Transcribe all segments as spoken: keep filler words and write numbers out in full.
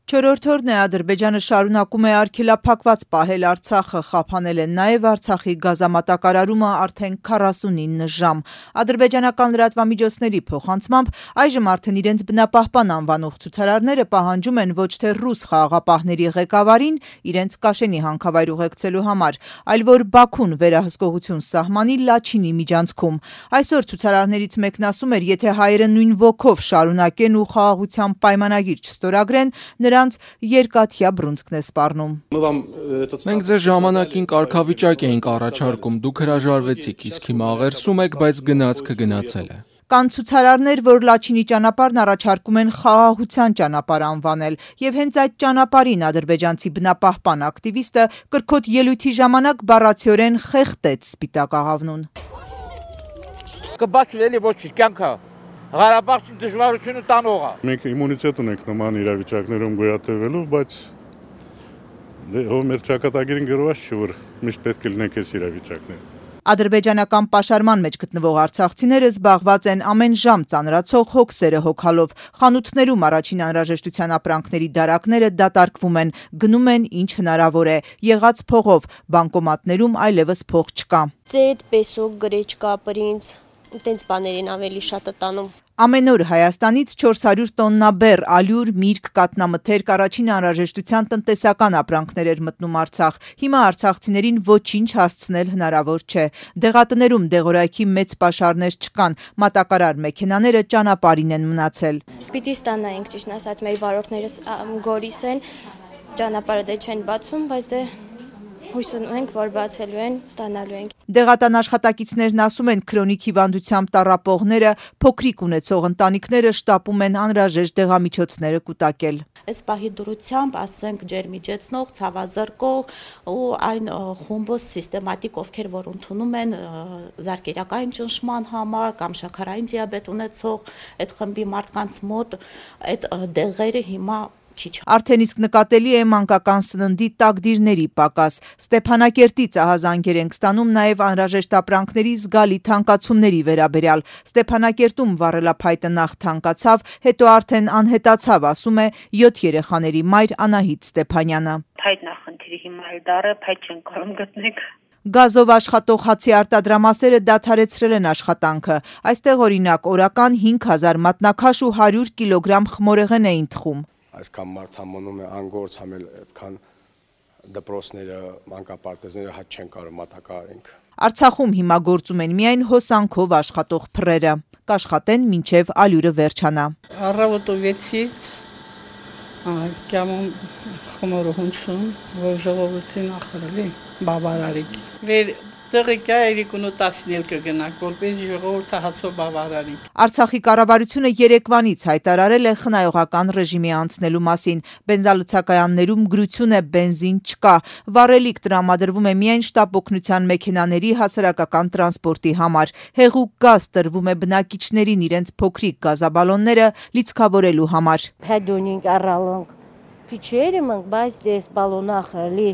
Չորրորդ օրն է Ադրբեջանը շարունակում է արգելափակված պահել Արցախը, խափանել են նաև Արցախի գազամատակարարումը արդեն քառասունինը ժամ։ Ադրբեջանական լրատվամիջոցների փոխանցմամբ այժմ արդեն իրենց բնապահպան անվանող ցուցարարները պահանջում են ոչ թե ռուս խաղաղապահների ղեկավարին իրենց Կաշենի հանքավայր ուղեկցելու համար, այլ որ Բաքուն վերահսկողություն սահմանի Լաչինի միջանցքում։ Այսօր ցուցարարներից մեկն ասում էր, եթե հայերը նույն ոգով շարունակեն ու խաղաղության պայմանագիր չստորագրեն, նրանց երկաթյա բռունցքն է սպառնում։ Մենք ձեզ ժամանակին կարգավիճակ էինք առաջարկում, դուք հրաժարվեցիք, իսկ հիմա աղերսում եք, բայց գնացքը գնացել է։ Կան ցուցարարներ, որ Լաչինի ճանապարհն առաջարկում են խաղաղության ճանապարհ անվանել, եւ հենց այդ ճանապարհին ադրբեջանցի բնապահպան ակտիվիստը կրկոտ ելույթի ժամանակ բառացիորեն խեղդեց Սպիտակ աղավնուն։ Կբացվելի ոչ կյանքը Ղարաբաղի դժվարությունը տանող է։ Մենք իմունիտետ ունենք նման իրավիճակներում գոյատևելու, բայց դե մեր ճակատագիրին գրված չէ, որ միշտ պետք է լինենք այս իրավիճակներում։ Ադրբեջանական պաշարման մեջ գտնվող արցախցիները զբաղված են ամեն ժամ ծանրացող հոգսերը հոգալով։ Խանութներում առաջին անհրաժեշտության ապրանքների դարակները դատարկվում են, գնում են ինչ հնարավոր է, եղած փողով, բանկոմատներում այլևս փող չկա։ Ծետ, պեսոկ, գրեչկա, պրինց, տենց բաներին ավելի շատ է տանում։ Ամեն օր Հայաստանից չորս հարյուր տոննա բեռ, ալյուր, միրգ, կատնամթերք, առաջին անհրաժեշտության տնտեսական ապրանքներ էր մտնում Արցախ։ Հիմա արցախցիներին ոչինչ հասցնել հնարավոր չէ։ Դեղատներում դեղորայքի մեծ պաշարներ չկան, մատակարար մեքենաները ճանապարհին են մնացել։ Պիտի ստանայինք, ճիշտ ասած, մեր վարորդներս գորիս են, ճանապարհը դե չեն բացում, բայց դե հույս ունենք, որ բացելու են, ստանալու ենք։ Դեղատան աշխատակիցներն ասում են, քրոնիկ հիվանդությամբ տառապողները, փոքրիկ ունեցող ընտանիքները շտապում են անհրաժեշտ դեղամիջոցները կուտակել։ Այս պահի դրությամբ, ասենք, ջերմիջեցնող, ցավազրկող ու այն խումբը սիստեմատիկ, ովքեր որ ընդունում են զարկերակային ճնշման համար կամ շաքարային դիաբետ ունեցող այդ խմբի մարդկանց մոտ այդ դեղերը հիմա Արդեն իսկ նկատելի է մանկական սննդի տակդիրների պակաս։ Ստեփանակերտից ահազանգեր ենք ստանում նաև անհրաժեշտ ապրանքների զգալի թանկացումների վերաբերյալ։ Ստեփանակերտում վառելափայտը նախ թանկացավ, հետո արդեն անհետացավ, ասում է յոթ երեխաների մայր Անահիտ Ստեփանյանը։ Փայտն է խնդիրը, հիմա էլ դառը փայտ չեն կարող գտնենք։ Գազով աշխատող հացի արտադրամասերը դադարեցրել են աշխատանքը։ Այստեղ օրինակ օրական հինգ հազար մատնաքաշ ու հարյուր կիլոգրամ խմորեղեն էին թխում։ Այսքան մարդ համոնում է անգործ համել, այդքան դպրոցները, մանկապարտեզները հաճ չեն կարող մատակարարենք։ Արցախում հիմա գործում են միայն հոսանքով աշխատող փռերը, կաշխատեն մինչև ալյուրը վերջանա։ Առավոտը վեցից կյամում խմորը հունցում, որ ժողովրդին ախրելի բավարարիկ։ Վեր Տեղեկա երիկունու տասնել կգնակ, որպես ժողովուրդը հացով բավարարիկ։ Արցախի կառավարությունը երեկվանից հայտարարել է խնայողական ռեժիմի անցնելու մասին։ Բենզալցակայաններում գրություն է, բենզին չկա։ Վառելիք տրամադրվում է միայն շտապ օգնության մեքենաների հասարակական տրանսպորտի համար։ Հեղուկ գազ տրվում է բնակիչներին իրենց փոքրիկ գազաբալոնները լիցքավորելու համար։ Փեդոնինգ առալոնք փիչերը մնք, բայց դες բալոնախրելի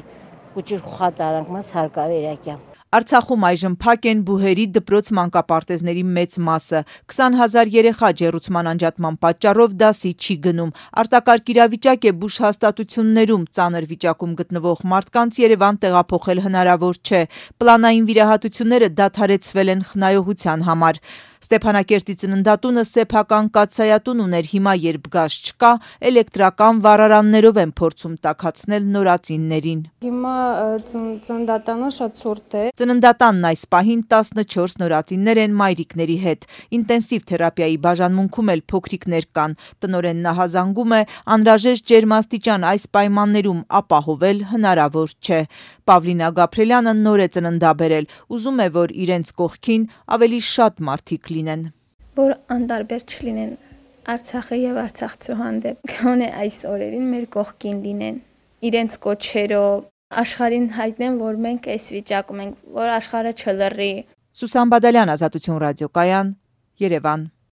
կուչիր խատարանք մաս հարկավերակյա։ Արցախում այժմ փակ են բուհերի դպրոց մանկապարտեզների մեծ մասը։ քսան հազար երեխա ջեռուցման անջատման պատճառով դասի չի գնում։ Արտակարգ իրավիճակ է բուժ հաստատություններում, ծանր վիճակում գտնվող մարդկանց Երևան տեղափոխել հնարավոր չէ։ Պլանային վիրահատությունները դադարեցվել են խնայողության համար։ Ստեփանակերտի ծննդատունը սեփական կաթսայատուն ուներ, հիմա երբ գազ չկա, էլեկտրական վառարաններով են փորձում տաքացնել նորածիններին։ Հիմա ծննդատանը շատ ցուրտ է։ Ծննդատանն այս պահին տասնչորս նորածիններ են մայրիկների հետ։ Ինտենսիվ թերապիայի բաժանմունքում էլ փոքրիկներ կան։ Տնօրենն ահազանգում է, անհրաժեշտ ջերմաստիճան այս պայմաններում ապահովել հնարավոր չէ։ Պավլինա Գաբրելյանը նոր է ծննդաբերել, ուզում է, որ իրենց կողքին ավելի շատ մարդիկ լինեն։ Որ անտարբեր չլինեն Արցախը եւ Արցախցու հանդեպ, գոնե այս օրերին մեր կողքին լինեն, իրենց կոչերով աշխարհին հայտնեն, որ մենք այս վիճակում ենք, որ աշխարհը չլռի։ Սուսան Բադալյան, Ազատություն ռադիոկայան, Երևան։